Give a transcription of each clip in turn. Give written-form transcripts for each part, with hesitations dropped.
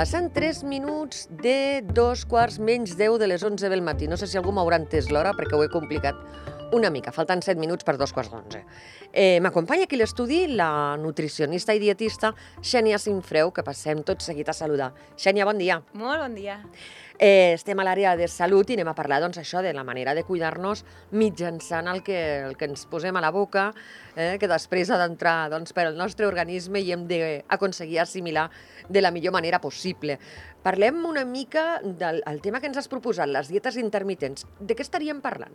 Passen 3 minuts de 2:15 de les 11 del matí. No sé si algú m'haurà entès l'hora perquè ho he complicat una mica. Falten 7 minuts per 2:15. M'acompanya aquí a l'estudi la nutricionista i dietista Xènia Sinfreu, que passem tot seguit a saludar. Xènia, bon dia. Molt bon dia. Estem a l'àrea de salut i anem a parlar això de la manera de cuidar-nos mitjançant el que ens posem a la boca, que després ha d'entrar per al nostre organisme i hem d'aconseguir assimilar de la millor manera possible. Parlem una mica del tema que ens has proposat, les dietes intermitents. De què estaríem parlant?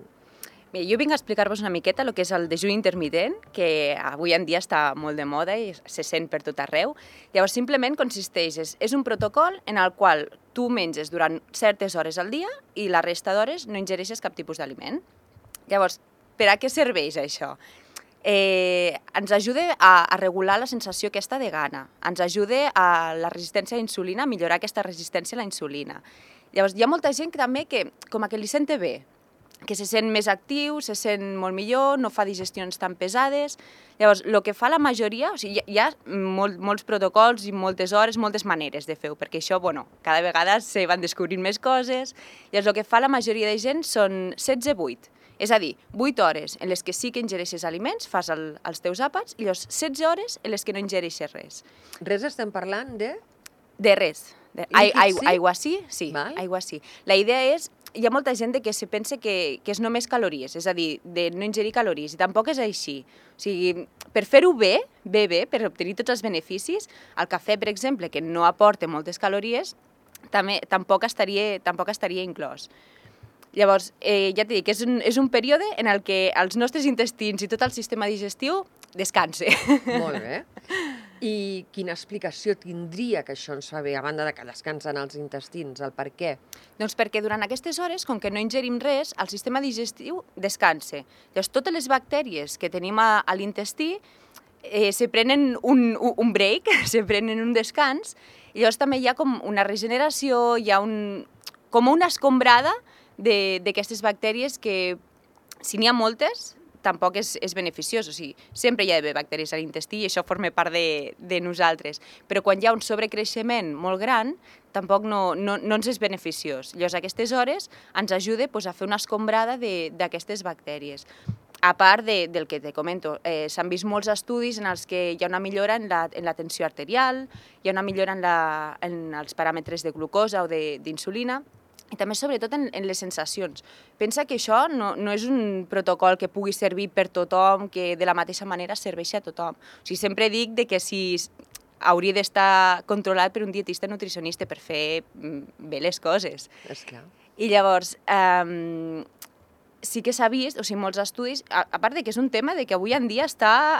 Bé, jo vinc a explicar-vos una miqueta el que és el dejú intermitent, que avui en dia està molt de moda i se sent per tot arreu. Llavors, simplement consisteix, és un protocol en el qual tu menges durant certes hores al dia i la resta d'hores no ingereixes cap tipus d'aliment. Llavors, per a què serveix això? Ens ajuda a regular la sensació aquesta de gana, ens ajuda a la resistència a la insulina, a millorar aquesta resistència a la insulina. Llavors, hi ha molta gent que també que com que li sente bé, que se sent més actiu, se sent molt millor, no fa digestions tan pesades. Llavors, el que fa la majoria, o sigui, hi ha molts protocols i moltes hores, moltes maneres de fer-ho, perquè això, cada vegada se van descobrint més coses. Llavors, el que fa la majoria de gent són 16-8. És a dir, 8 hores en les que sí que ingereixes aliments, fas els teus àpats, i llavors 16 hores en les que no ingereixes res. Res estem parlant de? De res. Aigua sí? Sí, Val. aigua sí. La idea és, hi ha molta gent que se pensa que és només calories, és a dir, de no ingerir calories, i tampoc és així. O sigui, per fer-ho bé, per obtenir tots els beneficis, el cafè, per exemple, que no aporta moltes calories, tampoc estaria inclòs. Llavors, ja t'he dit que és un període en el que els nostres intestins i tot el sistema digestiu descanse. Molt bé. I quina explicació tindria que això ens fa bé, a banda de que descansen els intestins, el per què? Doncs perquè durant aquestes hores, com que no ingerim res, el sistema digestiu descansa. Llavors, totes les bactèries que tenim a l'intestí se prenen un break, se prenen un descans, i llavors també hi ha com una regeneració, hi ha com una escombrada d'aquestes bactèries que, si n'hi ha moltes, tampoc és beneficiós. O sigui, sempre hi ha d'haver bactèries a l'intestí i això forma part de nosaltres. Però quan hi ha un sobrecreixement molt gran, tampoc no ens és beneficiós. Llavors, a aquestes hores ens ajuda a fer una escombrada d'aquestes bactèries. A part del que te comento, s'han vist molts estudis en els que hi ha una millora en la tensió arterial, hi ha una millora en els paràmetres de glucosa o d'insulina, i també, sobretot, en les sensacions. Pensa que això no és un protocol que pugui servir per tothom, que de la mateixa manera serveixi a tothom. O sigui, sempre dic que hauria d'estar controlat per un dietista nutricionista per fer bé les coses. Esclar. I llavors, sí que s'ha vist, o sigui, molts estudis, a part que és un tema que avui en dia està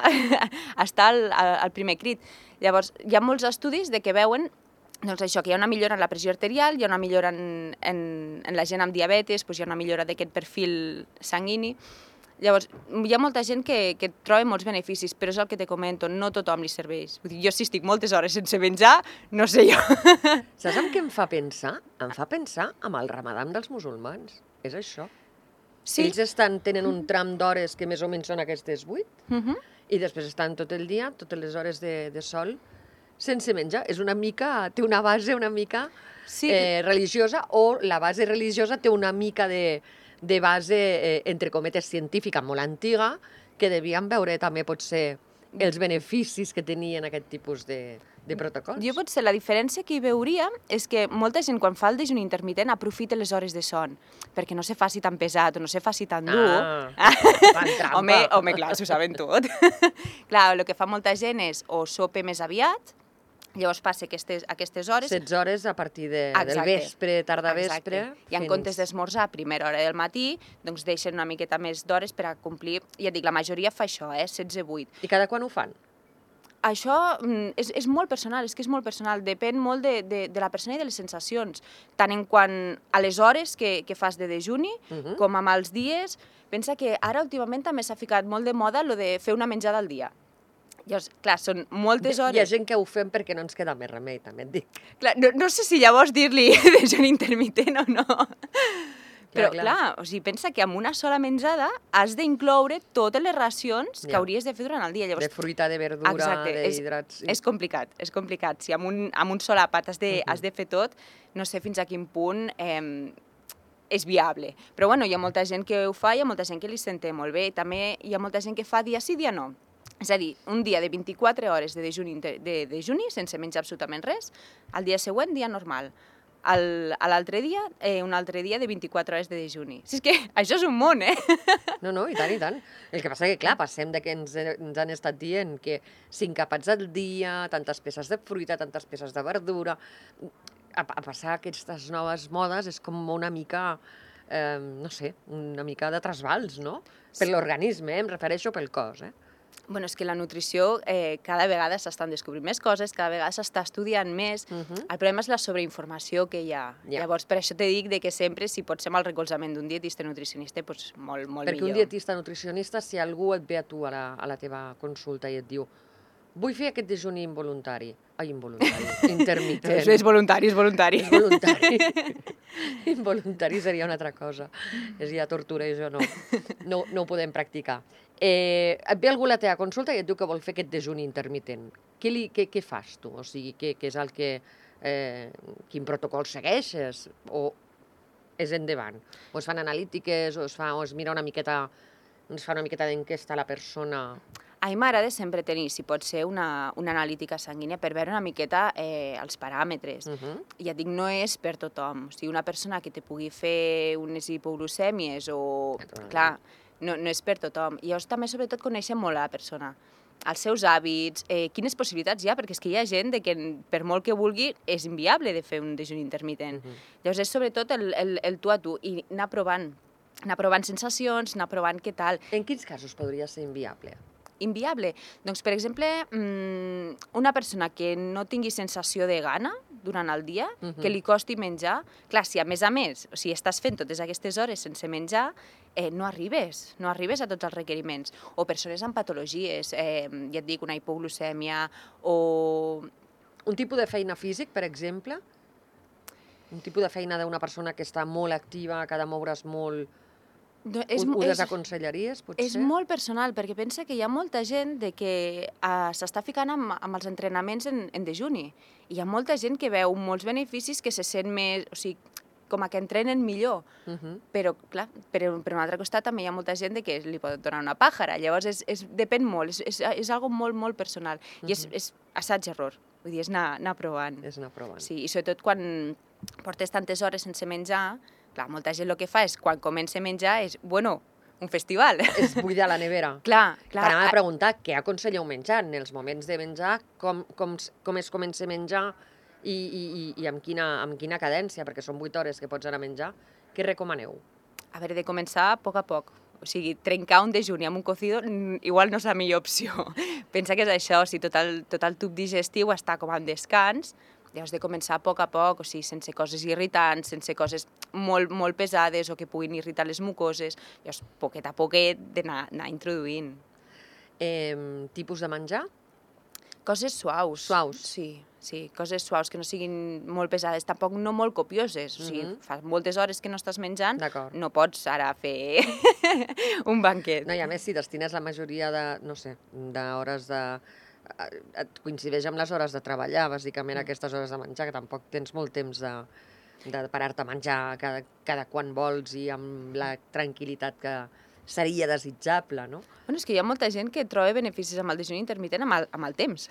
al primer crit. Llavors, hi ha molts estudis que veuen això, que hi ha una millora en la pressió arterial, hi ha una millora en la gent amb diabetes, hi ha una millora d'aquest perfil sanguini. Llavors, hi ha molta gent que troba molts beneficis, però és el que te comento, no tothom li serveix. Vull dir, jo si estic moltes hores sense menjar, no sé jo. Saps en què em fa pensar? Em fa pensar amb el ramadà dels musulmans. És això. Sí. Ells tenen un tram d'hores que més o menys són aquestes 8 i després estan tot el dia, totes les hores de sol, sense menjar. És una mica, té una base una mica religiosa, o la base religiosa té una mica de base, entre cometes, científica molt antiga, que devien veure també potser els beneficis que tenien aquest tipus de protocols. Jo potser la diferència que hi veuria és que molta gent quan fa el dejuni intermitent aprofita les hores de son, perquè no se faci tan pesat o no se faci tan dur. Fan trampa. Home, clar, s'ho saben tot. Clar, el que fa molta gent és o sopa més aviat, llavors passa aquestes hores... 16 hores a partir del vespre, tarda-vespre... I en comptes d'esmorzar a primera hora del matí, doncs deixen una miqueta més d'hores per a complir... Ja et dic, la majoria fa això, 16-8. I cada quan ho fan? Això és molt personal, és que és molt personal. Depèn molt de la persona i de les sensacions. Tant en quant a les hores que fas de dejuni, com amb els dies. Pensa que ara últimament també s'ha ficat molt de moda lo de fer una menjada al dia. Llavors, clar, són moltes hores... Hi ha gent que ho fem perquè no ens queda més remei, també et dic. Clar, no sé si llavors dir-li dejuni intermitent o no. Però, clar, o sigui, pensa que amb una sola menjada has d'incloure totes les racions que hauries de fer durant el dia. De fruita, de verdura, d'hidrats... És complicat, és complicat. Si amb un sol àpat has de fer tot, no sé fins a quin punt és viable. Però bueno, hi ha molta gent que ho fa, hi ha molta gent que li senta molt bé. També hi ha molta gent que fa dia sí, dia no. És a dir, un dia de 24 hores de dejuni sense menjar absolutament res, al dia següent, dia normal. L'altre dia, un altre dia de 24 hores de dejuni. Si és que això és un món, eh? No, i tant, i tant. El que passa que, clar, passem de que ens han estat dient que 5 àpats al dia, tantes peces de fruita, tantes peces de verdura... A passar aquestes noves modes és com una mica, no sé, una mica de trasbals, no? Per l'organisme, em refereixo pel cos, Bueno, és que la nutrició cada vegada s'estan descobrint més coses, cada vegada s'està estudiant més. El problema és la sobreinformació que hi ha. Llavors, per això te dic que sempre, si pots ser amb el recolzament d'un dietista nutricionista, doncs molt millor. Perquè un dietista nutricionista, si algú et ve a tu a la teva consulta i et diu vull fer aquest dejuni involuntari. Ai, involuntari, intermitent. És voluntari, és voluntari. És voluntari. Involuntari seria una altra cosa. És ja tortura i això no ho podem practicar. Et ve algú a la teva consulta i et diu que vol fer aquest dejuni intermitent. Què fas tu? O sigui, què és el que... quin protocol segueixes? O és endavant? O es fan analítiques, o es mira una miqueta... es fa una miqueta d'enquesta a la persona... A mi m'agrada sempre tenir, si pot ser, una analítica sanguínia per veure una miqueta els paràmetres. Ja dic, no és per tothom. O sigui, una persona que te pugui fer unes hipoglucèmies o... Clar, no és per tothom. I llavors també, sobretot, conèixer molt a la persona. Els seus hàbits, quines possibilitats hi ha, perquè és que hi ha gent que per molt que vulgui és inviable de fer un dejuni intermitent. Llavors és sobretot el tu a tu i anar provant sensacions, anar provant què tal. En quins casos podria ser inviable? Inviable? Doncs, per exemple, una persona que no tingui sensació de gana durant el dia, que li costi menjar, clar, si a més, o sigui, estàs fent totes aquestes hores sense menjar, no arribes a tots els requeriments. O persones amb patologies, ja et dic, una hipoglucèmia o... Un tipus de feina físic, per exemple? Un tipus de feina d'una persona que està molt activa, que ha de moure's molt... Ho desaconsellaries, potser? És molt personal, perquè pensa que hi ha molta gent que s'està ficant amb els entrenaments en dejuni. I hi ha molta gent que veu molts beneficis, que se sent més... O sigui, com a que entrenen millor. Però, clar, per un altre costat també hi ha molta gent que li pot donar una pàjara. Llavors, depèn molt, és algo molt, molt personal. I és assaig-error. Vull dir, és anar provant. És anar provant. Sí, i sobretot quan portes tantes hores sense menjar... Clar, molta gent el que fa és, quan comença a menjar, és, bueno, un festival. És buidar la nevera. Clar. T'anava a preguntar què aconselleu menjar en els moments de menjar, com es comença a menjar i amb quina cadència, perquè són 8 hores que pots anar a menjar. Què recomaneu? A veure, de començar a poc. O sigui, trencar un dejuni amb un cocido igual no és la millor opció. Pensa que és això, o sigui, tot el tub digestiu està com en descans. Llavors, de començar a poc, o sigui, sense coses irritants, sense coses molt, molt pesades o que puguin irritar les mucoses. Llavors, poquet a poquet, d'anar introduint. Tipus de menjar? Coses suaus. Suaus? Sí, coses suaus, que no siguin molt pesades, tampoc no molt copioses. O sigui, fa moltes hores que no estàs menjant, no pots ara fer un banquet. No, i a més, si destines la majoria d'hores de... et coincideix amb les hores de treballar, bàsicament aquestes hores de menjar, que tampoc tens molt temps de parar-te a menjar cada quan vols i amb la tranquil·litat que seria desitjable, no? Bueno, és que hi ha molta gent que troba beneficis amb el dejuni intermitent amb el temps.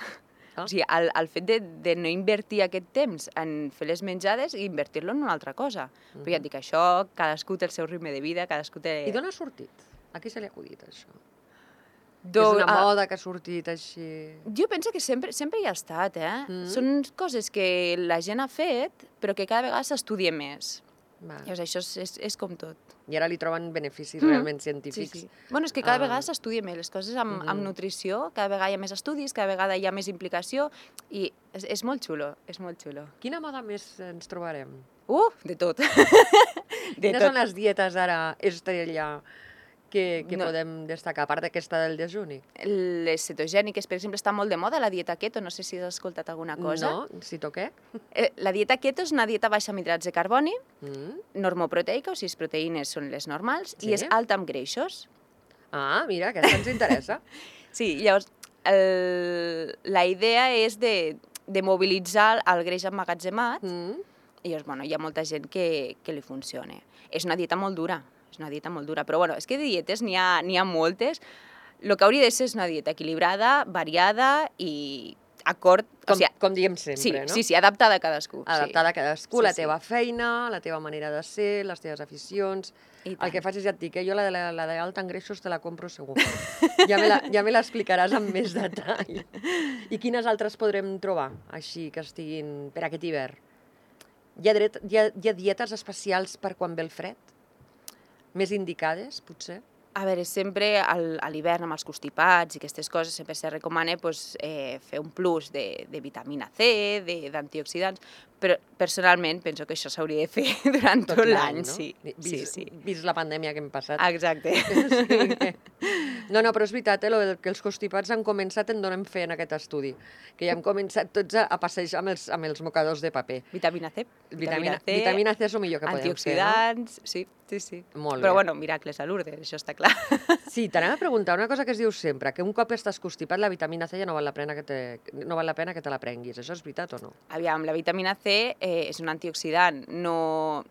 O sigui, el fet de no invertir aquest temps en fer les menjades i invertir-lo en una altra cosa. Però ja et dic, això, cadascú té el seu ritme de vida, cadascú té... I d'on ha sortit? A qui se li ha acudit, això? És una moda que ha sortit així... Jo penso que sempre hi ha estat, Són coses que la gent ha fet, però que cada vegada s'estudia més. Llavors, això és com tot. I ara li troben beneficis realment científics. Sí. Bueno, és que cada vegada s'estudia més. Les coses amb nutrició, cada vegada hi ha més estudis, cada vegada hi ha més implicació, i és molt xulo, és molt xulo. Quina moda més ens trobarem? De tot. Quines són les dietes ara estrella que podem destacar, a part d'aquesta del dejuni? Les cetogèniques, per exemple, està molt de moda, la dieta keto, no sé si has escoltat alguna cosa. No, si toqué. La dieta keto és una dieta baixa en hidrats de carboni, normoproteica, o sigui, les proteïnes són les normals, i és alta en greixos. Ah, mira, aquesta ens interessa. Sí, llavors, la idea és de mobilitzar el greix emmagatzemat, i llavors, bueno, hi ha molta gent que li funciona. És una dieta molt dura, però bueno, és que de dietes n'hi ha moltes. El que hauria de ser és una dieta equilibrada, variada i acord... Com diem sempre, no? Sí, adaptada a cadascú. Adaptada a cadascú, la teva feina, la teva manera de ser, les teves aficions. El que faig és, ja et dic, jo la d'alta en greixos te la compro segur. Ja me l'explicaràs amb més detall. I quines altres podrem trobar, així, que estiguin per aquest hivern? Hi ha dietes especials per quan ve el fred? Més indicades, potser? A veure, sempre a l'hivern amb els constipats i aquestes coses sempre se recomana fer un plus de vitamina C, d'antioxidants, però personalment penso que això s'hauria de fer durant tot l'any, sí. Vist la pandèmia que hem passat. Exacte. No, però és veritat, que els constipats han començat, en donem fe en aquest estudi, que ja hem començat tots a passejar amb els mocadors de paper. Vitamina C. Vitamina C és el millor que podem fer, no? Antioxidants, sí. Molt bé. Però bueno, miracles a Lourdes, això està clar. Sí, t'anem a preguntar una cosa que es diu sempre, que un cop estàs constipat la vitamina C ja no val la pena que te la prenguis. Això és veritat o no? Aviam, la vitamina C és un antioxidant, no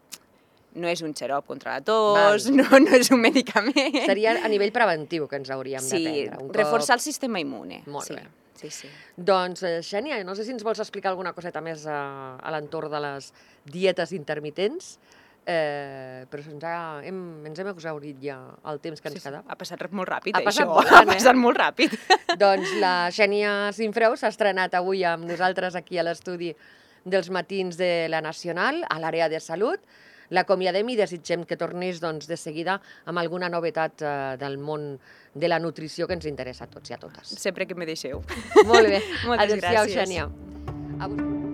és un xarop contra la tos, no és un medicament. Seria a nivell preventiu que ens hauríem de prendre. Sí, reforçar el sistema immune. Molt bé. Sí. Doncs, Xènia, no sé si ens vols explicar alguna coseta més a l'entorn de les dietes intermitents, però ens hem exhaurit ja el temps que ens quedava. Ha passat molt ràpid, això. Ha passat molt ràpid. Doncs la Xènia Sinfreu s'ha estrenat avui amb nosaltres aquí a l'estudi dels matins de la Nacional, a l'àrea de salut. L'acomiadem i desitgem que tornis de seguida amb alguna novetat del món de la nutrició que ens interessa a tots i a totes. Sempre que me deixeu. Molt bé. Moltes gràcies. Adéu-siau, Xènia.